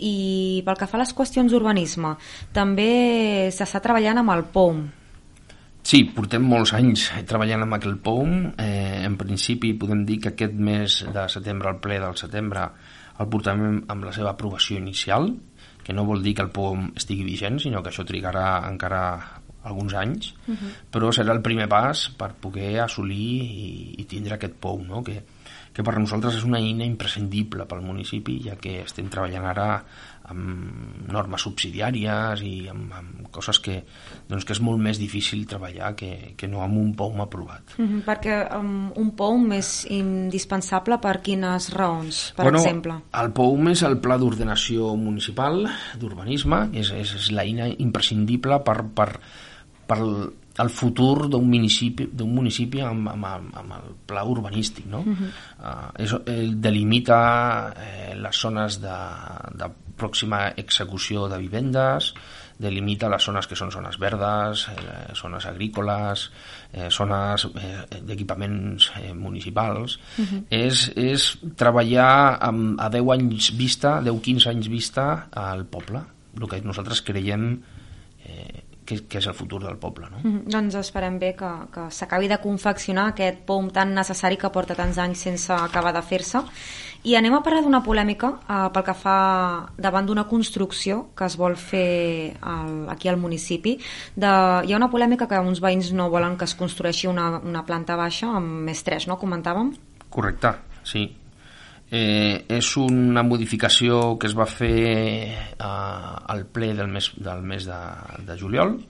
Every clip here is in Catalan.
I pel que fa a les qüestions d'urbanisme, també s'està treballant amb el POUM. Sí, portem molts anys treballant amb aquell POUM. En principi podem dir que aquest mes de setembre, el ple del setembre, el portem amb la seva aprovació inicial, que no vol dir que el POUM estigui vigent, sinó que això trigarà encara alguns anys, però serà el primer pas per poder assolir i tindre aquest POUM, no? que per nosaltres és una eina imprescindible pel municipi, ja que estem treballant ara amb normes subsidiàries i amb coses que és molt més difícil treballar que no amb un POUM aprovat. Perquè un POUM és indispensable per quines raons, per exemple? El POUM és el Pla d'Ordenació Municipal d'Urbanisme, és l'eina imprescindible per el futur d'un municipi amb el pla urbanístic, no? Delimita les zones de pròxima execució de vivendes, delimita les zones que són zones verdes, zones agrícoles, zones d'equipaments municipals. És treballar a 10 anys vista, 10-15 anys vista al poble, el que nosaltres creiem que és el futur del poble, no? Doncs esperem bé que s'acabi de confeccionar aquest POUM tan necessari que porta tants anys sense acabar de fer-se. I anem a parlar d'una polèmica pel que fa davant d'una construcció que es vol fer aquí al municipi. Hi ha una polèmica que uns veïns no volen que es construeixi una planta baixa amb més 3, no? Comentàvem? Correcte, sí. És una modificació que es va fer al ple del mes de juliol,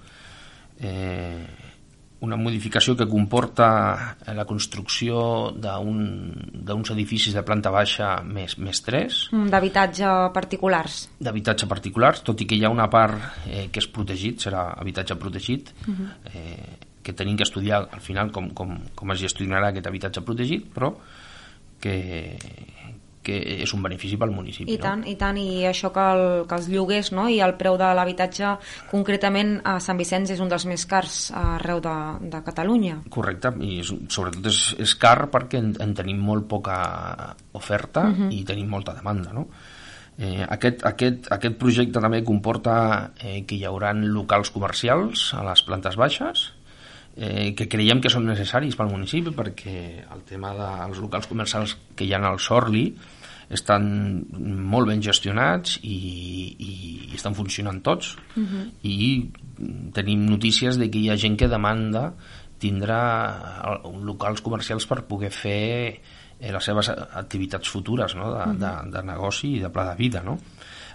una modificació que comporta la construcció d'uns edificis de planta baixa més 3. D'habitatge particulars. D'habitatge particulars, tot i que hi ha una part que és protegit, serà habitatge protegit, que tenim que estudiar al final com es gestionarà aquest habitatge protegit, però que és un benefici pel municipi. I tant, i això que els lloguers, no? I el preu de l'habitatge concretament a Sant Vicenç és un dels més cars arreu de Catalunya. Correcte, i sobretot és car perquè en tenim molt poca oferta i tenim molta demanda, no? Aquest projecte també comporta que hi haurà locals comercials a les plantes baixes, que creiem que són necessaris pel municipi, perquè el tema dels locals comercials que hi ha al Sorli estan molt ben gestionats i estan funcionant tots, i tenim notícies de que hi ha gent que demanda tindre locals comercials per poder fer les seves activitats futures, no? de negoci i de pla de vida, no?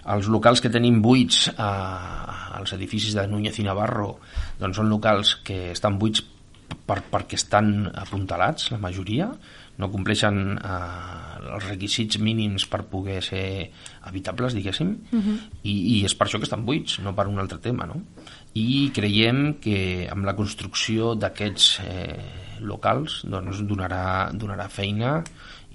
Els locals que tenim buits als edificis de Núñez i Navarro doncs són locals que estan buits perquè estan apuntalats, la majoria, no compleixen els requisits mínims per poder ser habitables, diguéssim, i és per això que estan buits, no per un altre tema, no? I creiem que amb la construcció d'aquests locals doncs donarà feina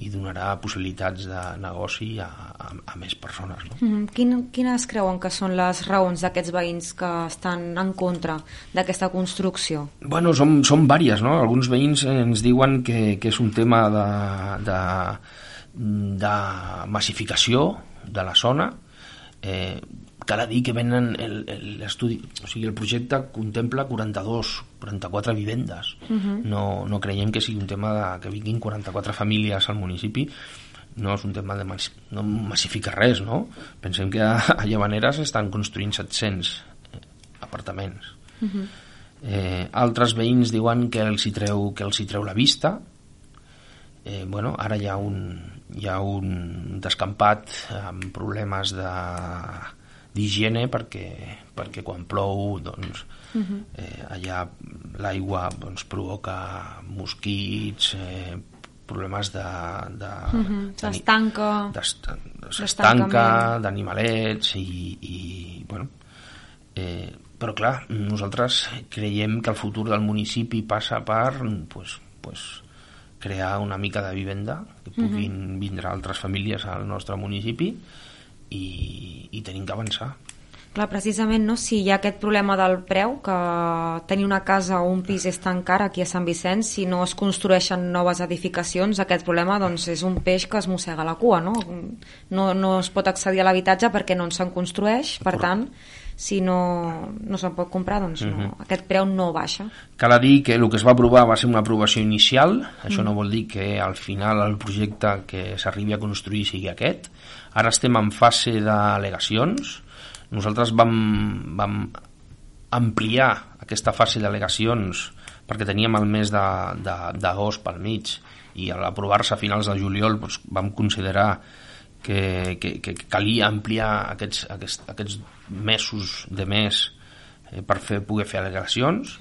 i donarà possibilitats de negoci a més persones, no? Quines creuen que són les raons d'aquests veïns que estan en contra d'aquesta construcció? Bueno, són vàries, no? Alguns veïns ens diuen que és un tema de massificació de la zona. Cal dir que venen l'estudi, o sigui, el projecte contempla 44 vivendes. No creiem que sigui un tema que vinguin 44 famílies al municipi. No és un tema no massifica res, no? Pensem que a Llavaneres estan construint 700 apartaments. Altres veïns diuen que els hi treu la vista. Bueno, ara hi ha un descampat amb problemes d'higiene perquè quan plou doncs, allà l'aigua doncs, provoca mosquits, problemes s'estanca d'animalets i bueno, però clar, nosaltres creiem que el futur del municipi passa per crear una mica de vivenda, que puguin vindre altres famílies al nostre municipi i tenim que avançar. Clar, precisament, no? Si hi ha aquest problema del preu, que tenir una casa o un pis és tan car aquí a Sant Vicenç, si no es construeixen noves edificacions, aquest problema doncs, és un peix que es mossega la cua, no? No es pot accedir a l'habitatge perquè no se'n construeix, per tant, si no se'n pot comprar, doncs aquest preu no baixa. Cal dir que el que es va aprovar va ser una aprovació inicial, això no vol dir que al final el projecte que s'arribi a construir sigui aquest. Ara estem en fase d'al·legacions. Nosaltres vam ampliar aquesta fase d'al·legacions perquè teníem el mes d'agost pel mig i a l'aprovar-se a finals de juliol doncs, vam considerar que calia ampliar aquests mesos de mes per poder fer al·legacions.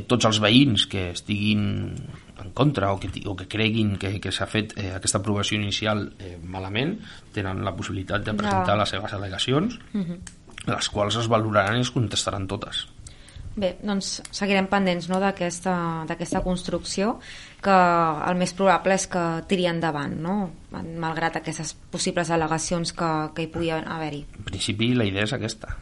Tots els veïns que estiguin en contra o que creguin que s'ha fet aquesta aprovació inicial malament tenen la possibilitat de presentar les seves al·legacions, les quals es valoraran i es contestaran totes. Bé, doncs seguirem pendents, no, d'aquesta construcció, que el més probable és que tiri endavant, no? Malgrat aquestes possibles al·legacions que hi pugui haver-hi. En principi la idea és aquesta.